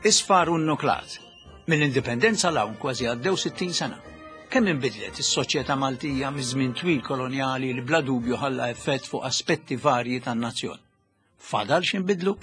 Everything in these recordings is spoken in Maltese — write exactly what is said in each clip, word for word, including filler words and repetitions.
Isfar u nuklat. Mill-indipendenza 'l hawn kważi għaddew sittin sena. Kemm inbidlet is-soċjetà Maltija miż-żmien twil kolonjali li bla dubju ħalla effett fuq aspetti varji tan-nazzjon. Fadal x'inbidlu?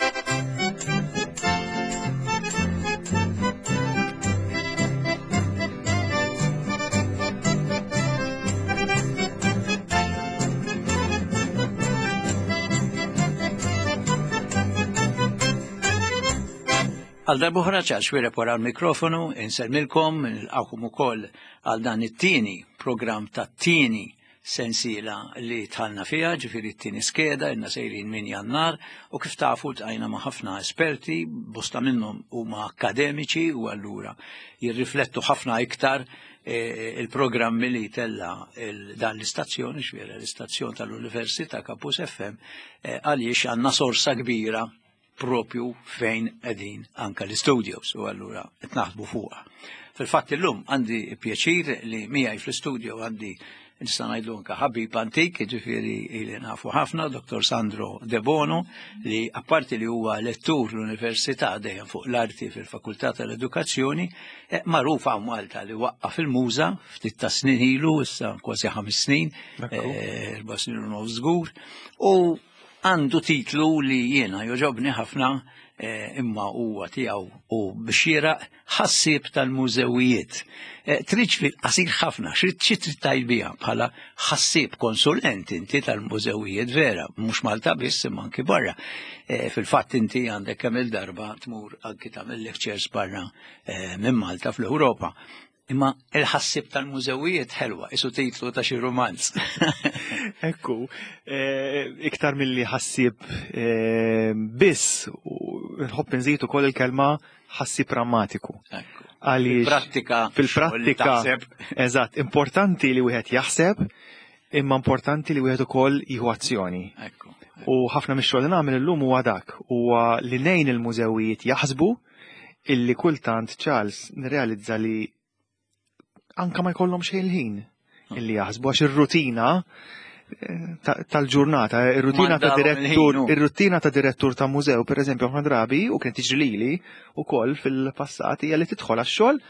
Għal darb'oħra Charles Xuereb wara l-mikrofonu, insellmilkom, nilqakom ukoll għal dan it-tieni programm tat-tieni sensiela li tħallna fiha, ġifieri t-tieni skeda, ilna sejrin minn Jannar, u kif tafu tqajna ma' ħafna esperti, bosta minnhom huma akademiċi u allura jirriflettu ħafna iktar eh, il-programmi li tella dan l-istazzjon, ġifieri l-istazzjon tal-Università Campus F M, eh, għaliex għandna sorsa kbira propju fejn qegħdin anka l-studios u allura qed naħdmu fuqha. Fil-fatt illum għandi pjaċir li miegħi fl-studio għandi nista' ngħidlu anka ħabib antik, jiġifieri li nafu ħafna, Doktor Sandro De Bono, li apparti li huwa lettur l-Università dejjem fuq l-arti fil-Fakultà tal-Edukazzjoni, eh, magħruf hawn Malta li waqqaf il-Muża ftit ta' snin ilu, issa kważi ħames snin, Ekku. eh, erba' snin u nofs żgur, u għandu titlu li jiena joġobni ħafna, eh, imma huwa tiegħu u bxieraq ħassieb tal-mużewijiet. Eh, tridx fil-qasir ħafna, xi trid tgħid biha bħala ħassieb konsulent inti tal-mużewijiet vera, mhux Malta biss imma anki barra. Eh, fil-fatt inti għandek kemm il-darba tmur anki tagħmel lectures barra, eh, minn Malta fl-Ewropa. Imma il-ħassieb tal-mużewijiet ħelwa, isu titlu ta' xi romanz. Ekku, eh, iktar milli ħassieb, eh, biss, nħobb nżid ukoll il-kelma ħassieb prammatiku. Ekku. Għaliex Fil-prattika, fil-prattika, xogħol li taħseb. Eżatt, importanti li wieħed jaħseb, imma importanti li wieħed ukoll jieħu azzjoni. Ekku. U ħafna mix-xogħol li nagħmel illum huwa dak, huwa li ngħin il-mużewijiet jaħsbu illi kultant Charles nirrealizza li anka ma jkollhom xejn il-ħin illi jaħsbu għax ir-rutina, eh, ta-, tal-ġurnata, ir-rutina ta' Mandawhom direttur, il-ħin, hu. ir-rutina ta' direttur ta' mużew, per eżempju, ħafna drabi, u kien tiġri lili wkoll fil-passat, hija li tidħol għax-xogħol,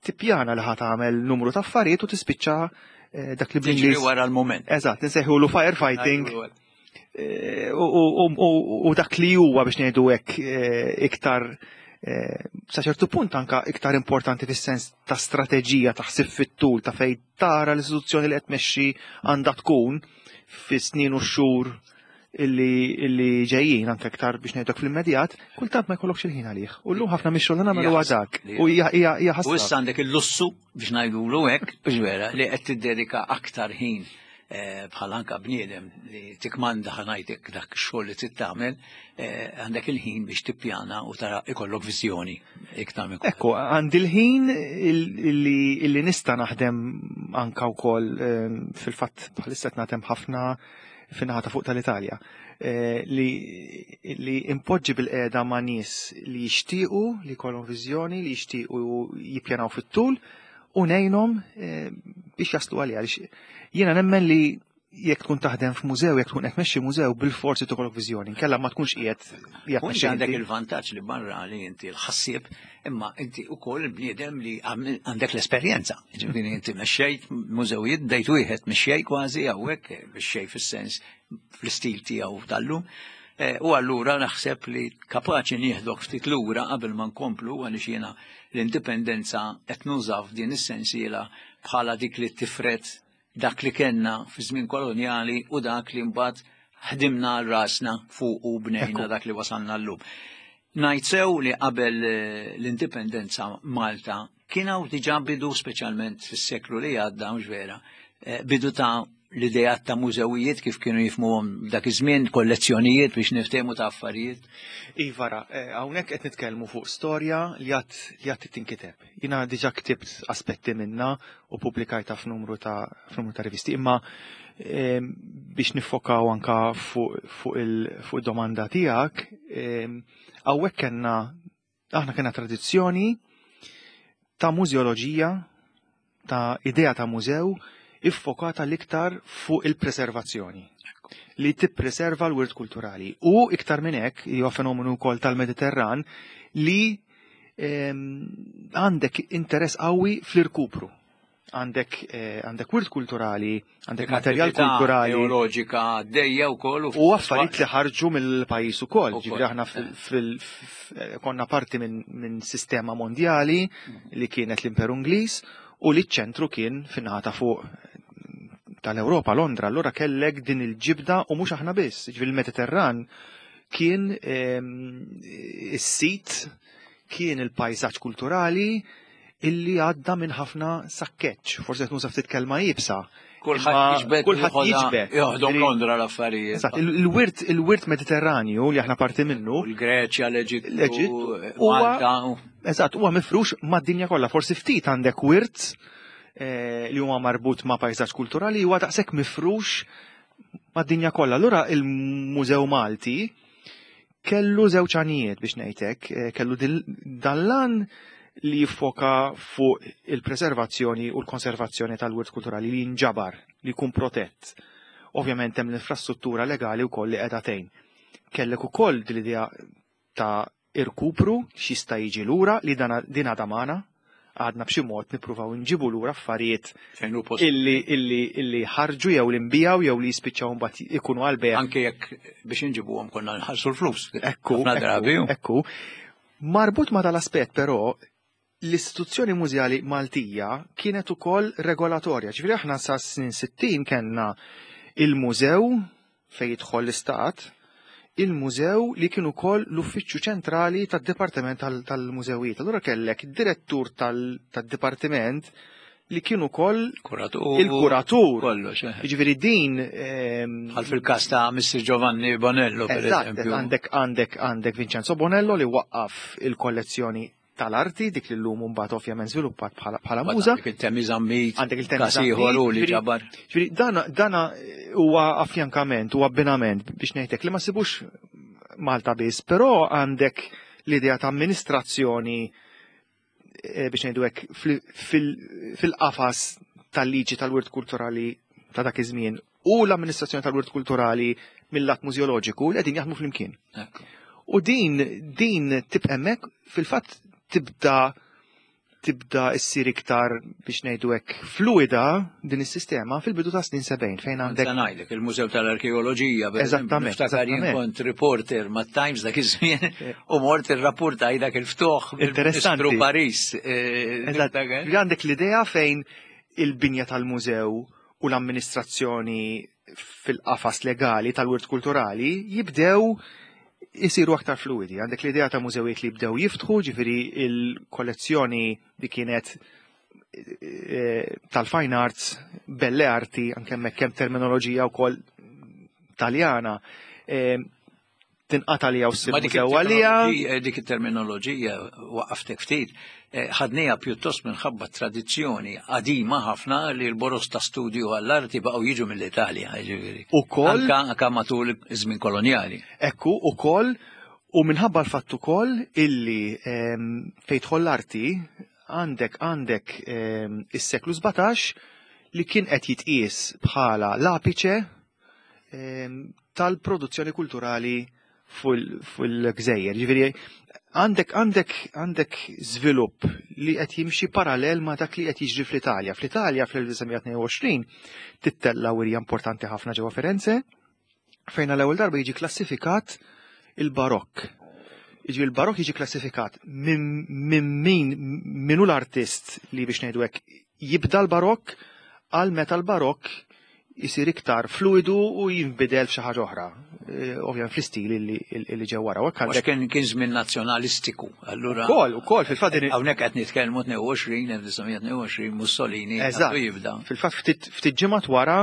tippjana li ħa tagħmel numru ta' affarijiet u tispiċċa, eh, dak li Tiġri bl-Ingliż wara l-mument. Eżatt, insejħulu firefighting. Għajdu għal. Eh, u, u, u, u dak li huwa biex ngħidu hekk, eh, iktar, eh, sa ċertu punt anka iktar importanti fis-sens ta' strateġija, ta' ħsieb fit-tul, ta' fejn tara l-istituzzjoni li qed tmexxi għandha tkun fis-snin u x-xhur illi, illi ġejjin, anke iktar biex ngħidlek fl-immedjat, kultant ma jkollokx il-ħin għalih. U llum ħafna mix-xogħol li nagħmlu Hija huwa dak. ħasra. U hija, hija, hija ħasra. U issa għandek il-lussu biex ngħidulu hekk, biex vera li qed tiddedika aktar ħin, eh, bħal anka bniedem li tikmanda ħanajtek dak ix-xogħol li trid tagħmel, eh, għandek il-ħin biex tippjana u tara ikollok viżjoni iktar minn Ekku, għandi l-ħin illi, illi nista' naħdem anka wkoll, eh, fil-fatt bħalissa qed naħdem ħafna fin-naħa ta' fuq tal-Italja, eh, li, li impoġġi bil-qiegħda ma' nies li jixtiequ li jkollhom viżjoni, li jixtiequ jippjanaw fit-tul u ngħinhom, eh, biex jaslu għalija. Għaliex jiena nemmen li jekk tkun taħdem f'mużew, jekk tkun qed tmexxi mużew, bil-forsi tkollok viżjoni, inkella ma tkunx qiegħed qiegħed U inti tmexxi għandek inti. il-vantaġġ li barra li inti l-ħassieb, imma inti wkoll il-bniedem li għamil-, għandek l-esperjenza. Ġifieri inti mexxejt mużewijiet, bdejt wieħed mexxej kważi hawnhekk, mexxej fis-sens fl-istil tiegħu tal-lum. Eh, u allura naħseb li kapaċi nieħdok ftit lura qabel ma nkomplu, għaliex jiena l-indipendenza qed nużaw f'din is-sensiela bħala dik li tifret dak li kellna fi żmien kolonjali u dak li mbagħad ħdimna għal rasna fuq u bnejna Ekku. dak li wasalna llum. Ngħid sew li qabel, eh, l-indipendenza Malta kien hawn diġà bidu, speċjalment fis-seklu li għadda, mhux vera, eh, bidu ta' l-idejat ta' mużewijiet kif kienu jifhmuhom dak iż-żmien, kollezzjonijiet biex niftehmu ta' affarijiet. Iva, ra, eh, hawnhekk qed nitkellmu fuq storja li għad, li għad tinkiteb. Jiena diġà ktibt aspetti minnha u pubblikajtha f'numru ta', f'numru ta' rivisti, imma, ehm, biex nifokaw anka fuq, fuq il, fuq id-domanda tiegħek, ehm, hawnhekk kellna, aħna kellna tradizzjoni ta' mużeoloġija, ta' idea ta' mużew iffokata l-iktar fuq il-preservazzjoni, li tippreserva l-wirt kulturali. U iktar minn hekk, huwa fenomenu wkoll tal-Mediterran, li Għandek interess qawwi fl-irkupru. Għandek eh, għandek wirt kulturali, għandek materjal kulturali. Teoloġika dejja wkoll. U affarijiet li ħarġu mill-pajjiż ukoll. Ġifieri aħna konna parti minn sistema mondjali li kienet l-Imperu Ingliż u li ċ-ċentru kien fin-naħa ta' fuq tal-Ewropa, Londra. Allura kellek din il-ġibda u mhux aħna biss. Ġifieri il-Mediterran kien is-sit, kien il-pajsaġġ kulturali illi għadda minn ħafna sakkeċ. Forse qed nuża ftit kelma iebsa. Kulħadd jiġbed. Kulħadd jiġbed. Joħdom Londra l-affarijiet. Eżatt, il-wirt il-wirt Mediterranju li aħna parti minnu. Il-Greċja, l-Eġittu, Malta. Eżatt, huwa mifrux mad-dinja kollha. Forsi ftit għandek wirt li huwa marbut ma' pajsaġġ kulturali huwa daqshekk mifrux mad-dinja kollha. Allura il-Mużew Malti kellu żewġ għanijiet biex ngħidlek, kellu dan l-għan li jiffoka fuq il-preservazzjoni u l-konservazzjoni tal-wirt kulturali li jinġabar, li jkun protett. Ovvjament hemm l-infrastruttura legali wkoll li qiegħda tgħin. Kellek ukoll din l-idea ta' irkupru x'jista' jiġi lura li din għadha magħna, għadna b'xi mod nippruvaw nġibu lura affarijiet illi illi illi ħarġu jew li nbijaw jew li jispiċċaw mbagħad ikunu għal bejgħ. Anke jekk biex inġibuhom konna nħallsu l-flus. Ekku, ekku. Marbut ma' dal-aspett però l-istituzzjoni mużeali Maltija kienet ukoll regolatorja. Ġifieri aħna sa snin sittin kellna il-mużew fejn jidħol l-istat, il-mużew li kien ukoll l-uffiċċju ċentrali tad-Dipartiment tal-Mużewijiet. Allura kellek id-direttur tad-dipartiment li kien ukoll il-kuratur. Kollox. Jiġifieri din bħal fil-każ ta' Mister Giovanni Bonello, per eżempju. Għandek għandek għandek Vincenzo Bonello li waqqaf il-kollezzjoni tal-arti, dik li llum mbagħad ovvjament żviluppat bħala muża. Għandek il-Temi Zammit, għandek il-Temi Zammit li ġabar. Ġifieri dana huwa affjankament, huwa abbinament biex ngħidlek li ma sibux Malta biss, però għandek l-idea ta' amministrazzjoni biex ngħidu hekk fil-qafas tal-liġi tal-wirt kulturali ta' dak iż-żmien u l-amministrazzjoni tal-wirt kulturali mill-lat mużeoloġiku li qegħdin jaħdmu flimkien. U din din tibqa' hemmhekk fil-fatt tibda tibda issir iktar biex ngħidu hekk fluida din is-sistema fil-bidu ta' snin sebgħin fejn għandek. Se ngħidlek il-Mużew tal-Arkeoloġija, eżattament, niftakar jien kont reporter mat-Times dak iż-żmien u mort irrapportaj dak il-ftuħ Interessanti. Paris. Eżatt. Għandek l-idea fejn il-binja tal-mużew u l-amministrazzjoni fil-qafas legali tal-wirt kulturali jibdew jisiru aktar fluidi. Għandek l-idea ta' mużewijiet li jibdew jiftħu, ġifieri il-kollezzjoni li kienet tal-fine arts, belle arti, anke hemmhekk hemm terminoloġija wkoll taljana, tinqata' li hawn ssir mużew għaliha. Dik it-terminoloġija waqaftek ftit, ħadniha pjuttost minħabba tradizzjoni qadima ħafna li l-boros ta' studju għall-arti baqgħu jiġu mill-Italja, ġifieri. Ukoll anke matul iż-żmien kolonjali. Ekku, ukoll, u minħabba l-fatt ukoll illi fejn tidħol l-arti għandek għandek is-seklu sbatax li kien qed jitqies bħala l-apiċe tal-produzzjoni kulturali fil-gżejjer. Ġifieri għandek għandek għandek żvilupp li qed jimxi parallel ma' dak li qed jiġri fl-Italja. Fl-Italja fl-elf disa' mija tnejn u għoxrin tittella' wirja importanti ħafna ġewwa Firenze fejn għall-ewwel darba jiġi klassifikat il-Barokk. Jiġi il-Barokk jiġi klassifikat minn min min hu l-artist li biex ngħidu hekk jibda l-Barokk għal meta l-Barokk jisir iktar fluidu u jinbidel f'xi ħaġa oħra. Ovvjament fl-istil illi ġew wara. Għax kien kien żmien nazzjonalistiku. Allura Ukoll, ukoll fil-fatt din hawnhekk qed nitkellmu tnejn u għoxrin, elf disa' mija tnejn u għoxrin, Mussolini għandu jibda. Fil-fatt ftit ftit ġimgħat wara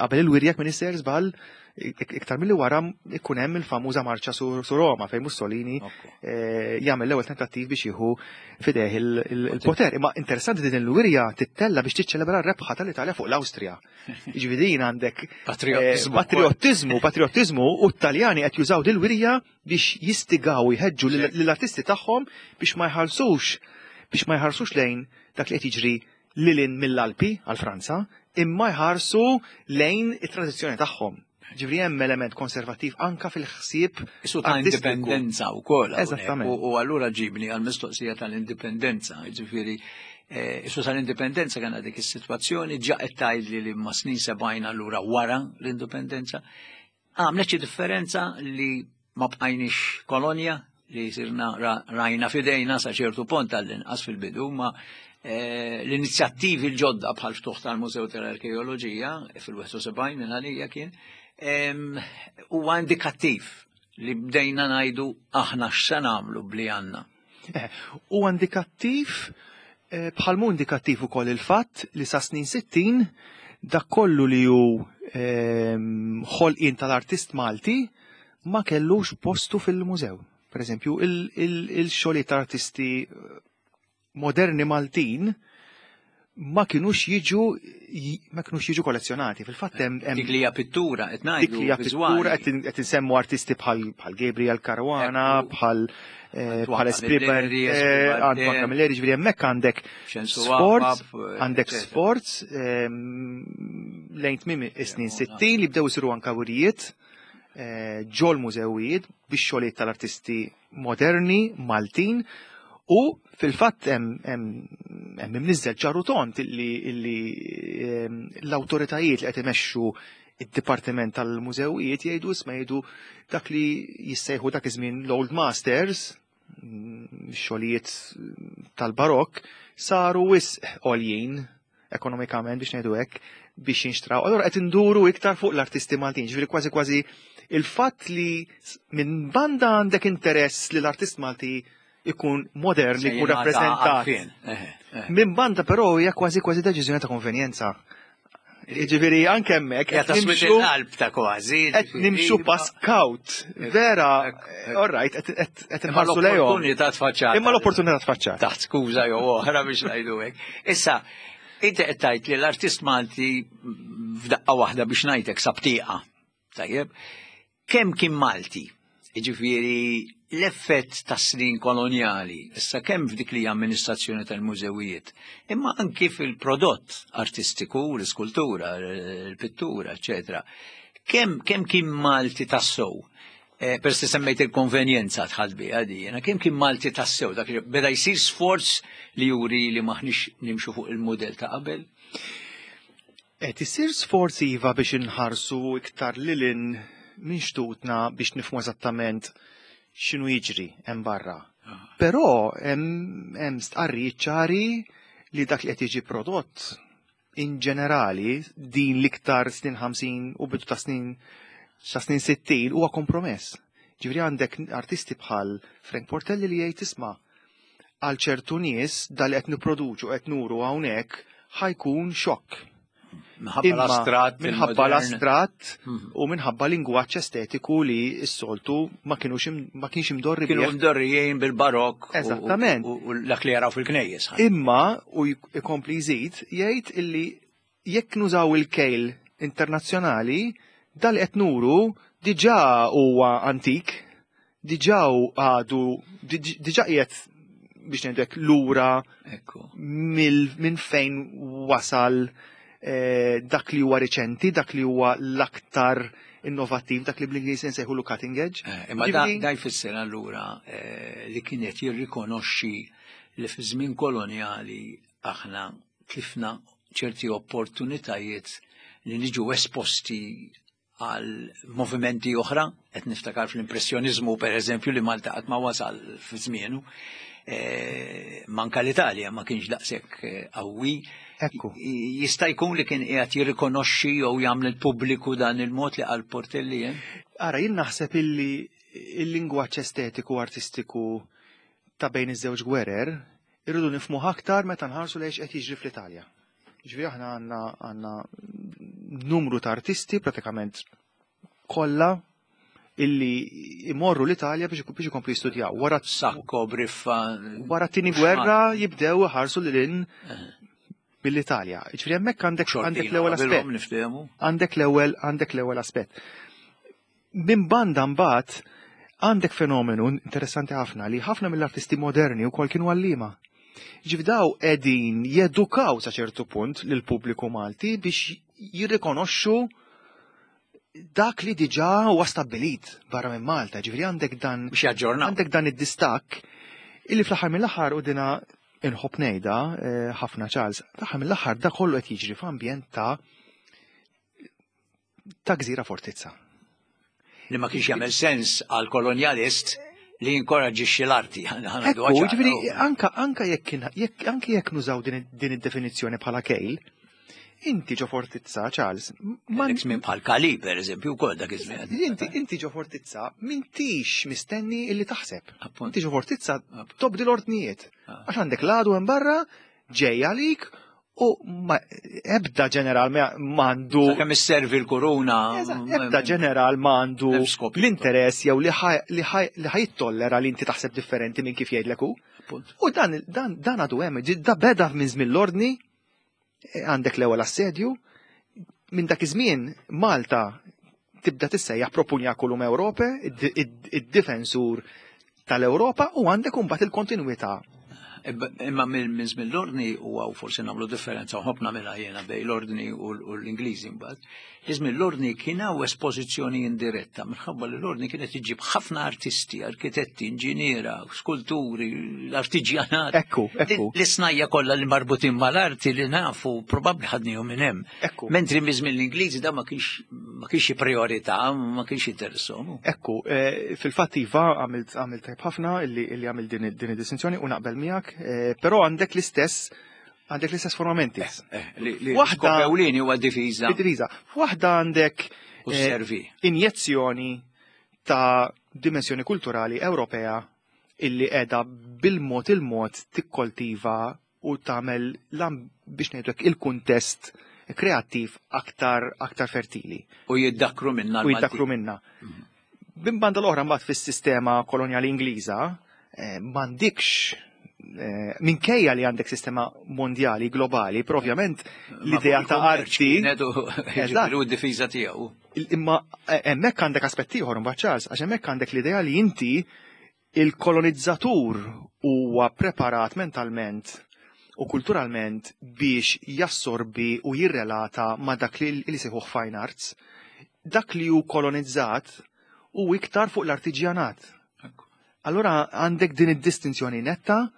qabel il-wirja minn isser żball iktar milli wara ikun hemm il-famuża marċa su Roma fejn Mussolini jagħmel l-ewwel tentattiv biex jieħu fideh il-poter. Imma interessanti din il-wirja tittella biex tiċċelebra r-rebħa tal-Italja fuq l-Awstrija. Jiġifieri din għandek patriottiżmu, patriottiżmu u t-Taljani qed jużaw dil-wirja biex jistigaw jħeġġu lill-artisti tagħhom biex ma jħallsux biex ma jħarsux lejn dak li qed jiġri lilin mill-Alpi għal Franza, imma jħarsu lejn it-tradizzjoni tagħhom. Ġifieri hemm element konservattiv anka fil-ħsieb Isu ta' indipendenza wkoll. Eżattament. U allura ġibni għal-mistoqsija tal-indipendenza, ġifieri isu tal-indipendenza kien dik is-sitwazzjoni ġa qed tgħidli li ma' snin sebgħin allura wara l-indipendenza. Għamlet xi differenza li ma bqajniex kolonja li sirna rajna fidejna sa ċertu punt għall-inqas fil-bidu, ma l-inizjattivi l-ġodda bħal ftuħ tal-Mużew tal-Arkeoloġija fil-wieħed u sebgħin minn għalija kien huwa indikattiv li bdejna ngħidu aħna x'se nagħmlu bli għandna. Huwa indikattiv, bħalmu indikattiv ukoll il-fatt li sa snin sittin dak kollu li hu ħolqien tal-artist Malti ma kellux postu fil-mużew. Per eżempju, il-xogħlijiet tal-artisti moderni Maltin ma kienux jiġu ma kienux jiġu kollezzjonati. Fil-fatt hemm dik li hija pittura qed ngħidu. Dik li hija pittura, qed insemmu artisti bħal bħal Gabriel Caruana, bħal bħal Esprit, Antoine Camilleri, ġifieri hemmhekk għandek sforz, għandek sforz lejn tmiem is-snin sittin li bdew isiru anka wirijiet ġol mużewijiet biex xogħlijiet tal-artisti moderni Maltin. U fil-fatt hemm imniżżel ċar u tond illi l-awtoritajiet li qed imexxu id-Dipartiment tal-Mużewijiet jgħidu, isma', jgħidu dak li jissejħu dak iż-żmien l-Old Masters, xogħlijiet tal-Barokk, saru wisq għoljin ekonomikament, biex ngħidu hekk, biex jinxtraw. Allora qed induru iktar fuq l-artisti Maltin, ġifieri kważi kważi il-fatt li minn banda għandek interess li l-artist Malti ikun modern, ikun rappresentat. Minn banda però hija kważi kważi deċiżjoni ta' konvenjenza. Ġifieri anke hemmhekk qed nimxu qalb ta' kważi. Qed nimxu pass kawt. Vera, all right, qed inħarsu lejhom. L-opportunità tfaċċata. Imma l-opportunità tfaċċata. Taħt skuża jew oħra, biex ngħidu hekk. Issa, inti qed tgħid li l-artist Malti f'daqqa waħda, biex ngħidlek, sabtieqa. Tajjeb. Kemm kien Malti? Ġifieri l-effett ta' snin koloniali, issa kemm f'dik li amministrazzjoni tal-mużewijiet, imma anki fil-prodott artistiku, l-iskultura, l-pittura, eccetera. Kemm kemm kien Malti tassew? Eh, per se semmejt il-konvenjenza tħalt biha di, jiena kemm kien Malti tassew, dak li beda jsir sforz li juri li maħniex nimxu fuq il-modell ta' qabel? Qed isir sforz, iva, biex inħarsu iktar lilin minn xtutna biex nifhmu eżattament x'inhu jiġri hemm barra. Però hemm hemm stqarrijiet ċari li dak li qed jiġi prodott in ġenerali din l-iktar snin ħamsin u bidu ta' snin sa snin sittin huwa kompromess. Ġifieri għandek artisti bħal Frank Portelli li jgħid, isma', għal ċertu nies dal qed nipproduċu, qed nuru hawnhekk, ħa jkun xokk. Minħabba l-astratt. Minħabba l-astratt Mhm. u minħabba lingwaġġ estetiku li s-soltu ma kienux ma kienx imdorri Kienu bih. mdorrijin bil-barok. u- Eżattament. U u dak li jaraw fil-knejjes. Imma u jkompli jżid jgħid illi jekk nużaw il-kejl internazzjonali, dal qed nuru diġà huwa antik, diġà għadu, diġà qiegħed, biex ngħidu hekk, lura Ekku. mill- minn fejn wasal eh, dak li huwa riċenti, dak li huwa l-aktar innovattiv, dak li bl-Ingliż nsejħulu cutting edge. Eh, Imma da, Ġifieri- da jfisser allura eh, li kienet jirrikonoxxi li fi żmien koloniali aħna tlifna ċerti opportunitajiet li niġu esposti għal movimenti oħra, qed niftakar fl-impressjonizmu per eżempju li Malta qatt ma wasal fi żmienu, eh, manka l-Italja ma kienx daqshekk eh, qawwi. Ekku. Jista' jkun li kien qiegħed jirrikonoxxi jew jagħmel il-pubbliku dan il-mod li qal Portelli, eh? Ara, jien naħseb illi il-lingwaġġ estetiku artistiku ta' bejn iż-żewġ gwerer irridu nifhmu aktar meta nħarsu lejn qed jiġri fl-Italja. Ġifieri aħna għandna għandna numru ta' artisti, pratikament kollha, illi imorru l-Italja biex biex ikomplu jistudjaw. Wara Sacco, Briffa. Wara t-tieni gwerra jibdew iħarsu lil hinn mill-Italja. Ġifieri hemmhekk għandek għandek l-ewwel aspett. Niftehmu. Għandek l-ewwel għandek l-ewwel aspett. Minn banda mbagħad għandek fenomenu interessanti ħafna li ħafna mill-artisti moderni wkoll kienu għalliema. Ġifieri daw qegħdin jedukaw sa ċertu punt lil pubbliku Malti biex jirrikonoxxu dak li diġà huwa stabbilit barra minn Malta, ġifieri għandek dan biex jaġġornaw. Għandek dan id-distakk illi fl-aħħar mill-aħħar u dina inħobb ngħidha eh, ħafna Charles, fl-aħħar mill-aħħar da kollu qed jiġri f'ambjent ta' ta' gżira fortizza. Li ma kienx jagħmel sens għal kolonjalist li jinkoraġġixxi l-arti. Ekku, ġifieri anka anka jekk jekk anke jekk nużaw din din id-definizzjoni bħala kejl, inti ġo fortizza, Charles, ma minn bħal Kali, per eżempju, wkoll dak iż-żmien. Inti inti ġo fortizza m'intix mistenni illi taħseb. Inti ġo fortizza tobdi l-ordnijiet. Ah. Għax għandek l-għadu hemm barra, ġej għalik, u ma ebda ġeneral m'għandu. Kemm isservi l-kuruna. Ebda ġeneral m'għandu l-interess jew li ħajtollera li inti taħseb differenti minn kif jgħidlek hu. U dan dan dan għadu hemm, da beda minn żmien l-ordni, għandek l-ewwel assedju, minn dak iż-żmien Malta tibda tissejjaħ Propunjaculum Europe, id-difensur tal-Ewropa, u għandek imbagħad il-kontinwità. Imma minn żmien l-ordni u għaw forsi nagħmlu differenza u ħobna mela jiena bej l-ordni u l-Ingliżi mbagħad. Iżmien l-ordni kien hawn espożizzjoni indiretta minħabba li l-ordni kienet iġib ħafna artisti, arkitetti, inġiniera, skulturi, l-artiġjanat. Ekku, ekku. L-isnajja kollha li marbutin mal-arti li nafu probabbli ħadnihom minn hemm. Ekku. Mentri miż-żmien l-Ingliżi da ma kienx ma kienx priorità, ma kienx interessahom. Ekku, fil-fatt iva għamilt għamilt tajb ħafna illi għamilt din id-distinzjoni u naqbel miegħek. Però għandek l-istess għandek l-istess formamenti. Waħda ewlieni huwa difiża. Difiża. Waħda għandek injezzjoni ta' dimensjoni kulturali Ewropea illi qiegħda bil-mod il-mod tikkoltiva u tagħmel biex ngħidlek il-kuntest kreattiv aktar aktar fertili. U jiddakru minna. U jiddakru minna. Bin banda l-oħra mbagħad fis-sistema kolonjali Ingliża m'għandikx minkejja li għandek sistema mondjali, globali, però ovvjament l-idea ta' arti. Eżatt, u d-difiża tiegħu. Imma hemmhekk għandek aspett ieħor imbagħad Charles, għax hemmhekk għandek l-idea li inti il-kolonizzatur huwa preparat mentalment u kulturalment biex jassorbi u jirrelata ma' dak li sejħuh fine arts, dak li hu kolonizzat u iktar fuq l-artiġjanat. Allora għandek din id-distinzjoni netta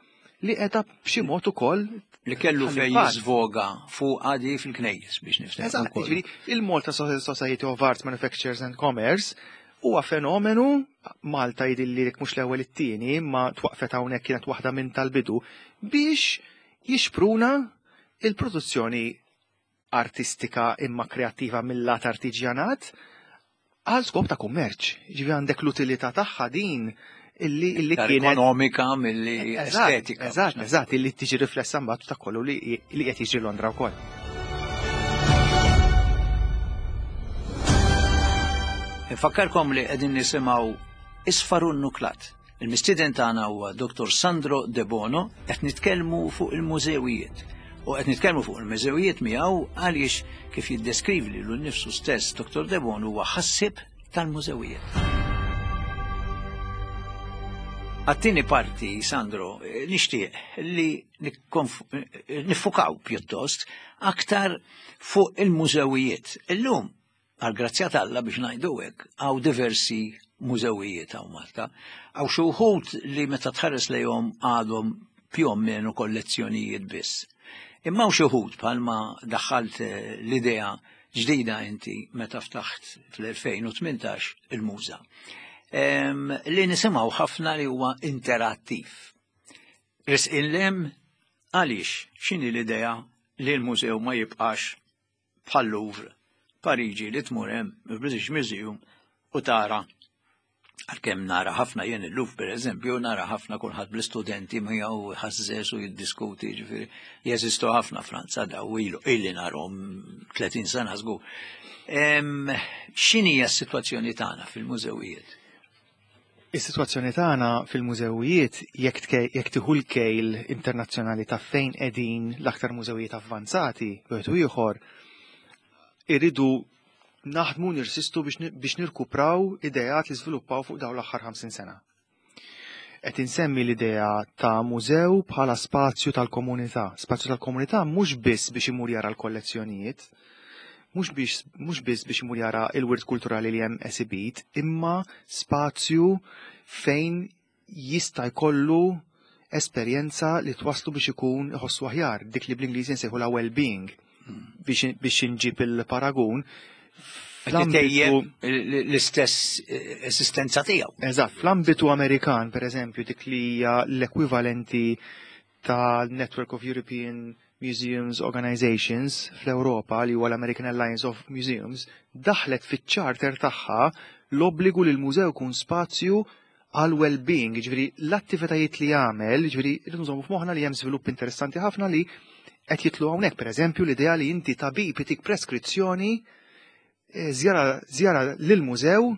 li qiegħda b'xi mod ukoll li kellu fejn jiżvoga fuq għadi fil-knejjes biex nifhem. Eżatt, jiġifieri il-Malta Society of Arts, Manufacturers and Commerce huwa fenomenu, Malta jidilli mhux l-ewwel it-tieni, ma twaqfet hawnhekk kienet waħda minn tal-bidu biex jixpruna il-produzzjoni artistika imma kreattiva mill-lat artiġjanat għal skop ta' kummerċ. Ġifieri għandek l-utilità tagħha din illi illi kienet ekonomika milli estetika. Eżatt, eżatt, illi tiġi riflessa mbagħad ta' kollu li qed jiġri Londra wkoll. Infakkarkom li qegħdin nisimgħu Isfaru n-Nuklat. Il-mistieden tagħna huwa Dottor Sandro Debono, qed nitkellmu fuq il-mużewijiet. U qed nitkellmu fuq il-mużewijiet miegħu għaliex kif jiddeskrivi lilu nnifsu stess Dottor Debono huwa ħassib tal-mużewijiet. Għat-tieni parti, Sandro, nixtieq li nifukaw pjuttost aktar fuq il-mużewijiet. Illum, għal-grazzja t'Alla biex ngħidu hekk, hawn diversi mużewijiet hawn Malta. Hawn xi wħud li meta tħares lejhom għadhom più o meno kollezzjonijiet biss. Imma hawn xi wħud bħalma daħħalt l-idea ġdida inti meta ftaħt fl-elfejn u tmintax il-Muża. Li nisimgħu ħafna li huwa interattiv. Risqin lem għaliex x'inhi l-idea li l-mużew ma jibqax bħal Louvre, Pariġi li tmur hemm il-British Museum u tara, għalkemm nara ħafna jien il-Louvre pereżempju, nara ħafna kulħadd bl-istudenti miegħu ħażżes u jiddiskuti, ġifieri jeżistu ħafna Franza daw ilu illi narhom tletin sena żgur. X'inhi s-sitwazzjoni tagħna fil-mużewijiet? Is-sitwazzjoni tagħna fil-mużewijiet jekk tieħu l-kejl internazzjonali ta' fejn qegħdin l-aktar mużewijiet avvanzati, wieħed u ieħor, irridu naħdmu nirsistu biex nirkupraw ideat li żviluppaw fuq dawn l-aħħar ħamsin sena. Qed insemmi l-idea ta' mużew bħala spazju tal-komunità. Spazju tal-komunità mhux biss biex imur jara l-kollezzjonijiet, mhux biex mhux biss biex imur jara il-wirt kulturali li hemm esibit, imma spazju fejn jista' jkollu esperjenza li twaslu biex ikun iħossu aħjar, dik li bl-Ingliż nsejħu la well-being, biex biex inġib il-paragun. Tejjeb l-istess eh, esistenza tiegħu. Eżatt, fl-ambitu Amerikan, per eżempju, dik li hija l-ekwivalenti tal-Network of European Museums Organizations fl-Europa, li huwa l-American Alliance of Museums, daħlet fiċ-charter tagħha l-obbligu li l-mużew kun spazju għal well-being, ġifieri l-attivitajiet li jagħmel, ġifieri rridu nżommu f'moħħna li hemm żvilupp interessanti ħafna li qed jitlu hawnhekk, pereżempju l-idea li inti tabib itik preskrizzjoni eh, żjara żjara lil-mużew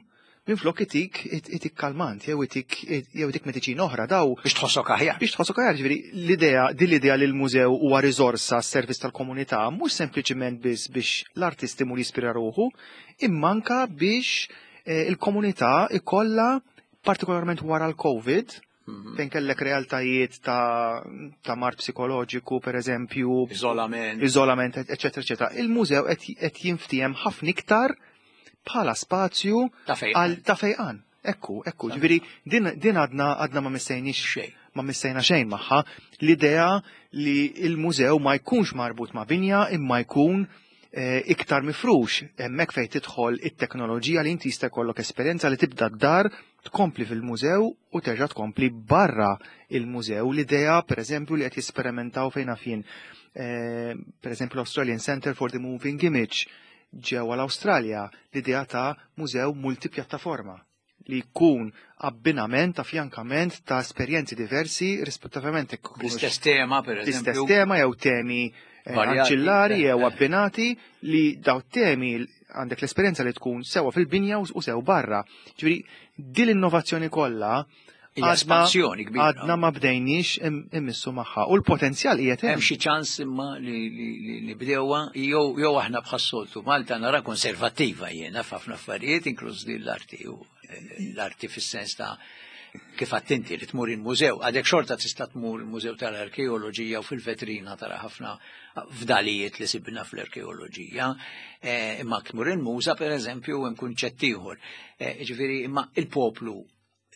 minflok itik itik kalmant jew itik jew itik mediċina oħra daw Biex tħossok aħjar. Biex tħossok aħjar, ġifieri l-idea din l-idea li l-mużew huwa riżorsa s-servizz tal-komunità mhux sempliċiment biss biex l-artisti mur jispira ruħu, imma anka biex eh, il-komunità ikollha, partikolarment wara l-Covid, Mhm. fejn kellek realtajiet ta', ta' mard psikoloġiku, per eżempju, Iżolament. Iżolament, eccetera, eccetera. Il-mużew qed qed jinftiehem ħafna iktar bħala spazju Ta' fejqan. għal ta' fejqan. Ekku, ekku, ġifieri din, din għadna għadna ma missejniex Xejn. Ma missejna xejn magħha. L-idea li il-mużew ma jkunx marbut ma' binja imma jkun eh, iktar mifrux, hemmhekk fejn tidħol it-teknoloġija li inti jista' jkollok esperjenza li tibda d-dar, tkompli fil-mużew u terġa' tkompli barra il-mużew. L-idea, per eżempju, li qed jesperimentaw fejn jien, eh, per eżempju l-Australian Center for the Moving Image ġewwa l-Awstralja, l-idea ta' mużew multipjattaforma li jkun abbinament, afjankament ta' esperjenzi diversi rispettivament jekk ikunux L-istess tema, per l-istess eżempju. Tema jew temi eh, Varjati, anċillari eh, jew eh. abbinati, li daw temi għandek l-esperjenza li tkun sewa fil-binja u u sew barra. Ġifieri din l-innovazzjoni kollha Hija għadna espansjoni kbira. Għadna ma bdejniex im- immissu magħha u l-potenzjal qiegħed Hemm hemm. xi ċans imma li li li nibdewha jew jew aħna bħas-soltu Malta nara konservattiva jiena f'ħafna affarijiet, inkluż din l-arti u eh, l-arti fis-sens ta' kif attenti li tmur il-mużew. Għadek xorta tista' tmur il-mużew tal-arkeoloġija u fil-vetrina tara ħafna fdalijiet li sibna fl-arkeoloġija. Eh, Imma tmur il-muża, per eżempju, hemm kunċett ieħor. Eh, Ġifieri imma il-poplu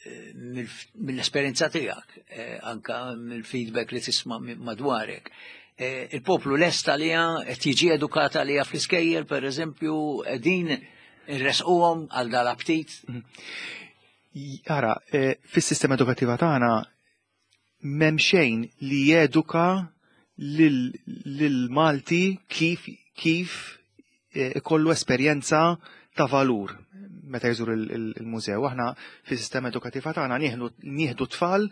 eh, mill- mill-esperjenza tiegħek, eh, anka mill-feedback li tisma' mi- madwarek. Eh, Il-poplu lest għalija, qed jiġi edukat għalija fl-iskejjel, per eżempju, qegħdin irresquhom għal dal-aptit? Ara, eh, fis-sistema edukattiva tagħna m'hemm xejn li jeduka lil lil Malti kif kif eh, ikollu esperjenza ta' valur meta jżur il- il- il-mużew. Aħna fis-sistema edukattiva tagħna nieħdu nieħdu tfal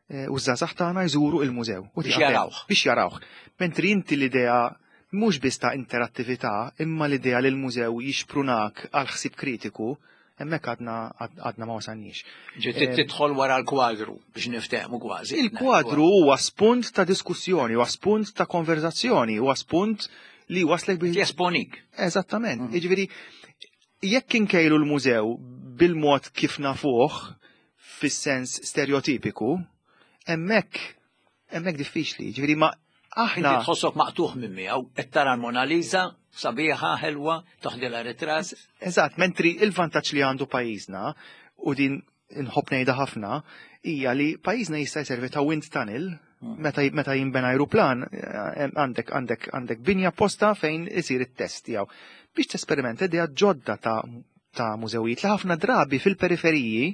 eh, u żgħażagħ tagħna jżuru il-mużew. U Biex tieqaf hemm. jarawh. Biex jarawh. Mentri inti l-idea mhux biss ta' interattività, imma l-idea li l-mużew jixprunak għal ħsieb kritiku, hemmhekk għadna għadna ma wasalniex. Ġi tidħol wara l-kwadru biex niftehmu kważi. Il-kwadru huwa spunt ta' diskussjoni, huwa spunt ta' konverzazzjoni, huwa spunt li waslek biex Jesponik. Eżattament. Jiġifieri jekk inkejlu l-mużew bil-mod kif nafuh fis-sens stereotipiku, hemmhekk hemmhekk diffiċli. Ġifieri ma aħna Inti tħossok maqtuħ minn miegħu, qed tara l-Mona Lisa, sabiħa, ħelwa, toħdilha ritratt. Eżatt, mentri il-vantaġġ li għandu pajjiżna, u din inħobb ngħidha ħafna, hija li pajjiżna jista' jservi ta' wind tunnel meta meta jinbena ajruplan, eh, għandek għandek għandek binja posta fejn isir it-test tiegħu biex tesperimenta idea ġodda ta' ta' mużewijiet li ħafna drabi fil-periferiji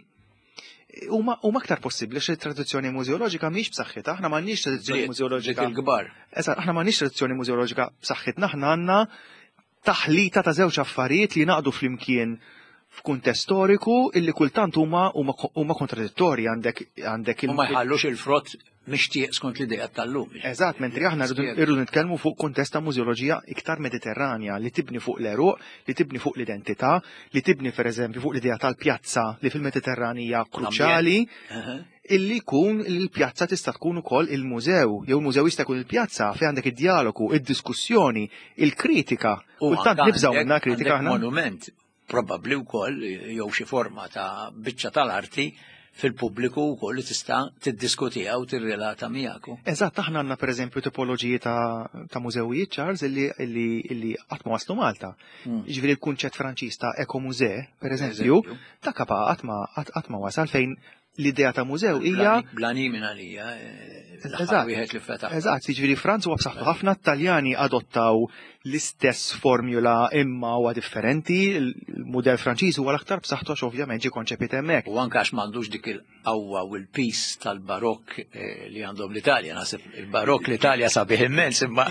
huma huma aktar possibbli xi tradizzjoni mużeoloġika mhix b'saħħitha, aħna m'għandniex tradizzjoni Bliet, mużeoloġika. bliet il-kbar. Eżatt, aħna m'għandniex tradizzjoni mużeoloġika b'saħħitna, aħna għandna taħlita ta' żewġ affarijiet li naqdu flimkien f'kuntest storiku illi kultant huma huma huma kontradittorji. Għandek għandek U ma jħallux il-frott mixtieq skont l-idea tal-lum. Eżatt, mentri aħna rridu irridu nitkellmu fuq kuntest ta' mużeoloġija iktar mediterranja li tibni fuq l-eruq, li tibni fuq l-identità, li tibni per eżempju fuq l-idea tal-pjazza li fil-Mediterran hija kruċjali, illi jkun il-pjazza tista' tkun ukoll il-mużew, jew il-mużew jista' jkun il-pjazza fejn għandek id-dialogu, id-diskussjoni, il-kritika. U Kultant anka nibżgħu għandek- minna kritika għandek aħna. Monument, probabbli wkoll jew xi forma ta' biċċa tal-arti fil-pubbliku wkoll li tista' tiddiskutiha u tirrelata miegħek. Eżatt, aħna għandna pereżempju tipoloġiji ta', ta' mużewijiet, Charles, illi, illi, illi qatt ma waslu Malta. Mm. Ġifieri l-kunċett Franċiż ta' écomusée, pereżempju, ta' kapa qatt ma qatt ma wasal, fejn l-idea ta' mużew hija Blani minn għalija, eh, l-aħħar Eżatt. wieħed li fetaħ. Eżatt, jiġifieri Franza huwa b'saħħtu ħafna, Taljani adottaw l-istess formula imma huwa differenti, il-mudell Franċiż huwa l-aktar b'saħħtu għax ovvjament ġie konċepit hemmhekk. U anke għax m'għandux dik il-qawwa u l-pis tal-barokk eh, li għandhom l-Italja. Naħseb il-barokk l-Italja sabiħ immens, imma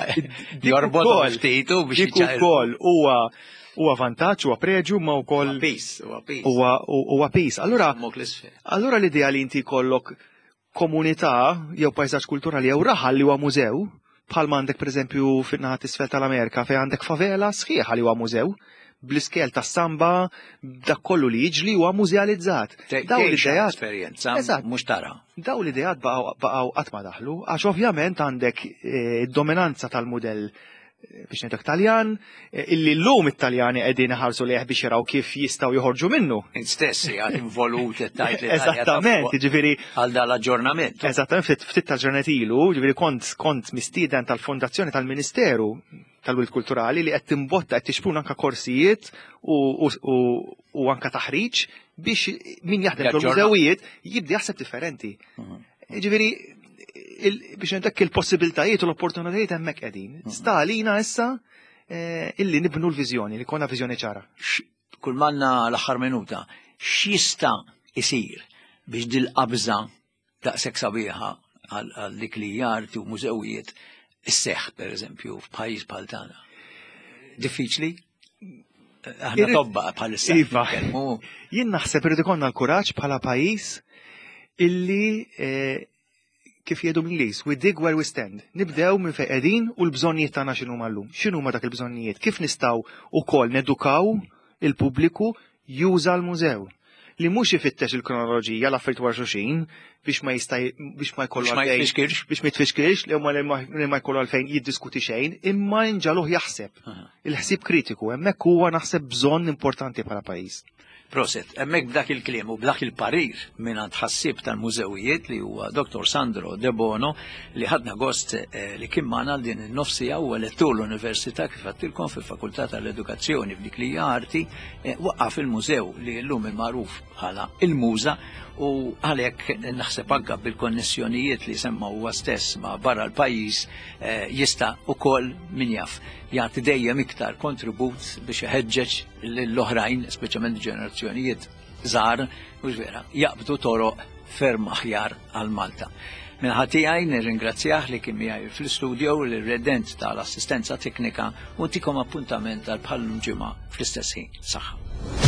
jorbot ukoll- ftitu biex Dik ukoll huwa huwa vantaġġ, huwa preġu, ma wkoll Pis, huwa pis. huwa huwa pis. Allura Mok l-isfel. Allura l-idea li inti jkollok komunità jew pajsaġġ kulturali jew raħal li huwa mużew, bħal għandek pereżempju fin-naħa t'isfel tal-Amerika fejn għandek favela sħiħa li huwa mużew, bl-iskel tas-samba, dak kollu li jiġli huwa mużealizzat. Daw l-idejat esperjenza, Eżatt. mhux tara. Daw l-idejat baqgħu baqgħu qatt ma daħlu, għax ovvjament għandek eh, dominanza tal-mudell eh, biex ngħidlek Taljan, eh, illi llum it-Taljani qegħdin iħarsu lejh biex jaraw kif jistgħu joħorġu minnu. Int stess għad involut tajt li Eżattament, jiġifieri għal dal-aġġornament. Eżattament, ftit ftit ta' ġranet ilu, ġifieri kont kont mistieden tal-Fondazzjoni tal-Ministeru tal-Wirt Kulturali li qed timbotta, qed tixpruna anka korsijiet u, u, u, u anka taħriġ biex min jaħdem Jaġġorna. fil-mużewijiet jibda jaħseb differenti. Mhm. Ġifieri il- biex ngħidlek il-possibiltajiet u l-opportunitajiet hemmhekk qegħdin. Sta għalina issa eh, illi nibnu l-viżjoni, li jkollna viżjoni ċara. X- Kull manna l-aħħar minuta, x'jista' isir biex dil-qabża daqshekk sabiħa għal għal dik li hija arti u mużewijiet isseħħ pereżempju f'pajjiż bħal tagħna? Diffiċli? Aħna Irrid- tobba bħalissa. Iva. nitkellmu. Jien naħseb irid ikollna l-kuraġġ bħala pajjiż illi eh, kif jgħidu bl-Ingliż, we dig where we stand. Nibdew minn fejn qegħdin u l-bżonnijiet tagħna x'inhuma llum. X'inhuma dak il-bżonnijiet? Kif nistgħu wkoll nedukaw il-pubbliku juża l-mużew? Li mhux ifittex il-kronoloġija, l-affarijiet wara xulxin, biex ma jista' biex ma jkollu Biex ma għalfejn- jitfixkilx. Biex ma jitfixkilx, li huma li ma li ma jkollu għalfejn jiddiskuti xejn, imma nġagħluh jaħseb. Aha. Il-ħsieb kritiku, hemmhekk huwa naħseb bżonn importanti bħala pajjiż. Prosit, hemmhekk b'dak il-kliem u b'dak il-parir minn ħassieb tal-mużewijiet li huwa Doktor Sandro De Bono, li ħadna gost eh, li kien magħna din in-nofsija, huwa lettur l-Università kif għedtilkom fil-Fakultà tal-Edukazzjoni f'dik li hija arti, eh, waqqaf il-mużew li llum il-magħruf bħala il-Muża, u għalhekk naħseb anke bil-konnessjonijiet li semma huwa stess ma' barra l-pajjiż eh, jista' ukoll min jaf jagħti dejjem iktar kontribut biex iħeġġeġ lill-oħrajn, speċjalment ġenerazzjonijiet żgħar, mhux vera, jaqbdu toroq ferm aħjar għal Malta. Min-naħa tiegħi nirringrazzjah li kien miegħi fl-istudio, l-redent tal-assistenza teknika, u ntikom appuntament għal bħal ġimgħa fl-istess ħin. Saħħa.